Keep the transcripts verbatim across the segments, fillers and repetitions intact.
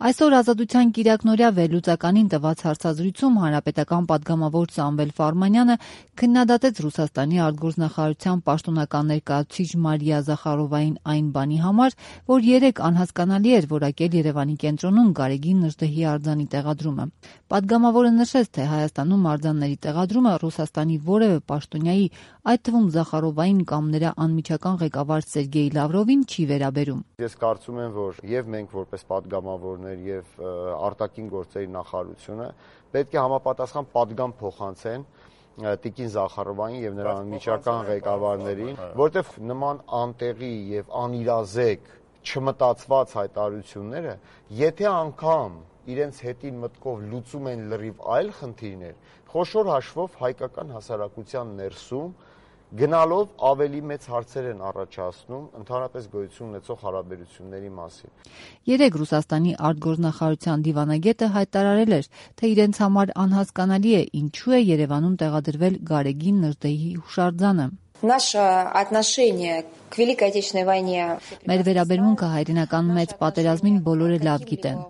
Այսօր Ազատության կիրակնօրյա վերլուծականին տված հարցազրույցում հանրապետական պատգամավոր Սամվել Ֆարմանյանը քննադատեց Ռուսաստանի արտգործնախարարության պաշտոնական ներկայացուցիչ Մարիա Զախարովային այն բանի համար, որ երեկ անհասկանալի էր որակել Երևանի կենտրոնում Գարեգին Նժդեհի արձանի տեղադրումը։ Պատգամավորը նշեց, թե Հայաստանում արձանների տեղադրումը Ռուսաստանի որևէ պաշտոնյայի, այդ թվում Զախարովային կամ նրա անմիջական ղեկավար Սերգեյ Լավրովին չի վերաբերում։ Ես կարծում եմ, որ եւ մենք որպես պատգամավորներ եւ արտաքին գործերի նախարարությունը պետք է համապատասխան պատգամ փոխանցեն Տիկին Զախարովային եւ նրա անմիջական ղեկավարներին, որտեղ նման անտեղի եւ անիրազեկ չմտածված հայտարարությունները, եթե անգամ իրենց հետին մտքով լուծում են լրիվ այլ խնդիրներ, խոշոր հաշվով հայկական հասարակության ներսում գնալով ավելի մեծ հարցեր են առաջացնում ընդհանրապես գոյություն ունեցող հարաբերությունների մասին։ Երեկ Ռուսաստանի արտգործնախարարության դիվանագետը հայտարարել էր, թե իրենց համար անհասկանալի է ինչու է Երևանում տեղադրվել Գարեգին Նժդեհի հուշարձանը։ Наше отношение к Великой Отечественной войне. Մեր վերաբերմունքը հայրենական մեծ պատերազմին բոլորը լավ գիտեն։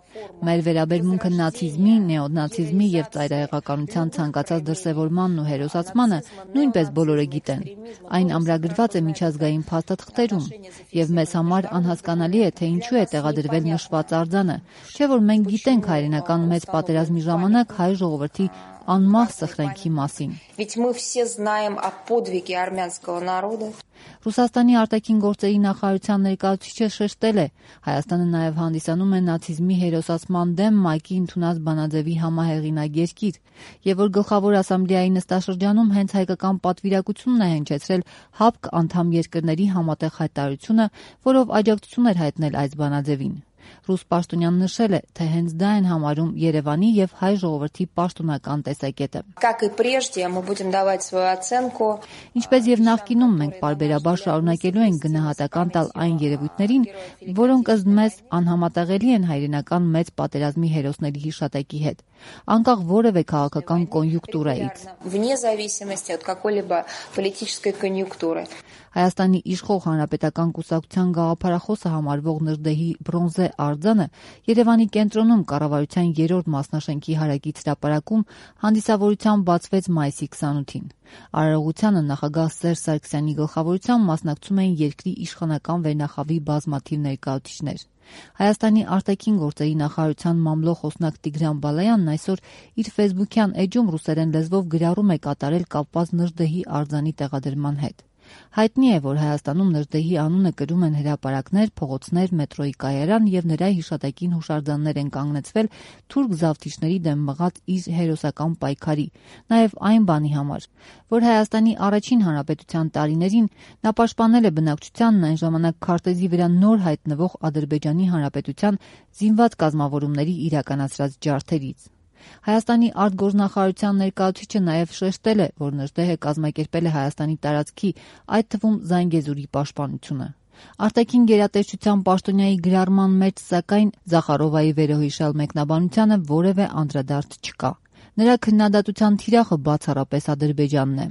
Մեր վերաբերմունքը նացիզմի, նեոնացիզմի եւ ծայրահեղականության ցանկացած դրսեւորմանն ու հերոսացմանը նույնպես բոլորը գիտեն։ Այն ամրագրված է միջազգային փաստաթղթերում եւ մեզ համար անհասկանալի է, թե ինչու է տեղադրվել նշված արձանը, չէ՞ որ մենք գիտենք հայրենական մեծ պատերազմի ժամանակ հայ ժողովրդի անմահ սխրանքի մասին։ Ведь мы все знаем о подвиге армянского народа. Ռուսաստանի արտաքին գործերի նախարարության ներկայացուցիչը շեշտել է, Հայաստանը նաև հանդիսանում է նացիզմի հերոսացման դեմ ՄԱԿ-ի ընդունած բանաձևի համահեղինակ երկիր, եւ որ գլխավոր ասամբլեայի նստաշրջանում հենց հայկական պատվիրակությունն է հնչեցրել ՀԱՊԿ անդամ երկրների համատեղ հայտարարությունը, որով աջակցություն էր հայտնել այս բանաձևին։ Ռուս պաշտոնյան նշել է, թե հենց դա են համարում Երևանի եւ հայ ժողովրդի պաշտոնական տեսակետը։ Как и прежде, мы будем давать свою оценку. Ինչպես եւ նախկինում մենք պարբերաբար շարունակելու ենք գնահատական տալ այն երևույթներին, որոնք ըստ մեզ անհամատեղելի են հայրենական մեծ պատերազմի հերոսների հիշատակի հետ, անկախ որևէ քաղաքական կոնյունկտուրայից։ Вне зависимости от какой-либо политической конъюнктуры. Հայաստանի իշխող հանրապետական կուսակցության գաղափարախոսը համարվող Նժդեհի բրոնզե արձանը Երևանի կենտրոնում կառավարության երրորդ մասնաշենքի հարակից հրապարակում հանդիսավորությամբ բացվեց մայիսի քսանութին։ Արարողությանը նախագահ Սերժ Սարգսյանի գլխավորությամբ մասնակցում էին երկրի իշխանական վերնախավի բազմաթիվ ներկայացուցիչներ։ Հայաստանի արտաքին գործերի նախարարության մամլո խոսնակ Տիգրան Բալայանն այսօր իր ֆեյսբուքյան էջում ռուսերեն լեզվով գրառում է կատարել կապված Նժդեհի արձանի տեղադրման հետ։ Հայտնի է, որ Հայաստանում Նժդեհի անունը կրում են հրապարակներ, փողոցներ, մետրոյի կայարան եւ նրա հիշատակին հուշարձաններ են կանգնեցվել թուրք զավթիչների դեմ մղած իր հերոսական պայքարի, նաեւ այն բանի համար, որ Հայաստանի առաջին հանրապետության տարիներին նա պաշտպանել է բնակչությանն այն ժամանակ քարտեզի վրա նոր հայտնվող Ադրբեջանի հանրապետության զինված կազմավորումների իրականացրած ջարդերից։ Հայաստանի արտգործնախարարության ներկայացուցիչը նաև շեշտել է, որ Նժդեհը կազմակերպել է Հայաստանի տարածքի, այդ թվում Զանգեզուրի պաշտպանությունը։ Արտաքին գերատեսչության պաշտոնյայի գրառման մեջ, սակայն, Զախարովայի վերոհիշյալ մեկնաբանությանը որևէ անդրադարձ չկա։ Նրա քննադատության թիրախը բացառապես Ադրբեջանն է։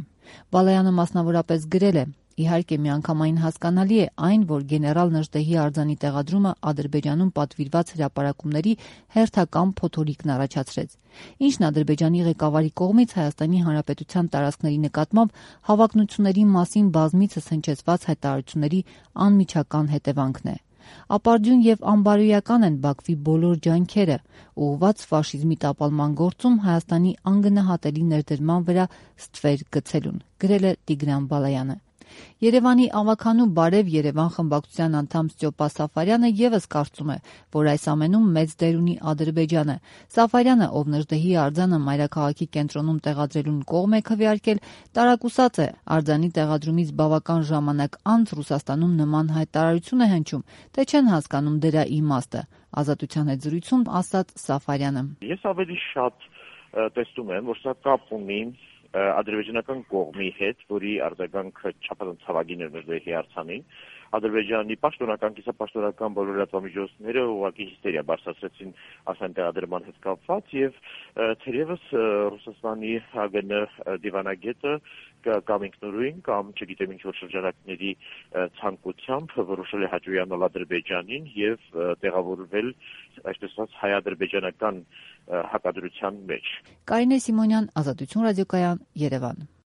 Բալայանը մասնավորապես գրել է. Իհարկե միանգամայն հասկանալի է այն, որ գեներալ Նժդեհի արձանի տեղադրումը Ադրբեջանում պատվիրված հրապարակումների հերթական փոթորիկն առաջացրեց, ինչն Ադրբեջանի ղեկավարի կողմից Հայաստանի Հանրապետության տարածքների նկատմամբ հավակնությունների մասին բազմիցս հնչեցված հայտարարությունների անմիջական հետևանքն է։ Ապարդյուն եւ անբարոյական են Բաքվի բոլոր ջանքերը, ուղղված ֆաշիզմի տապալման գործում Հայաստանի անգնահատելի ներդրման վրա ստվեր գցելուն, գրել է Տիգրան Բալայանը։ Երևանի ավագանու Բարև Երևան խմբակցության անդամ Ստյոպա Սաֆարյանը եւս կարծում է, որ այս ամենում մեծ դեր ունի Ադրբեջանը։ Սաֆարյանը, ով Նժդեհի արձանը մայրաքաղաքի կենտրոնում տեղադրելուն կողմ է քվեարկել, տարակուսած է արձանի տեղադրումից բավական ժամանակ անց Ռուսաստանում նման հայտարարություն է հնչում, թե չեն հասկանում դրա իմաստը։ Ազատության հետ զրույցում ասաց Սաֆարյանը. Ես ավելի շատ տեսնում եմ, որ սա կապ ունի ադրբեջանական կողմի հետ, որի արձագանքը չափազանց ցավագին էր Նժդեհի արձանին, Ադրբեջանի պաշտոնական, կիսապաշտոնական բոլոր լրատվամիջոցները ուղղակի հիստերիա բարձրացրեցին ասեն տեղադրման հետ կապված եւ թերևս Ռուսաստանի ՀԱԳՆ դիվանագետը կամ ինքնուրույն կամ չգիտեմ ինչ որ շրջանակների ցանկությամբ որոշել է հաջողանալ Ադրբեջանին եւ տեղավորվել այսպես ասած հայ-ադրբեջանական հակադրության մեջ։ Կարինե Սիմոնյան, Ազատություն ռադիոկայան, Երևան։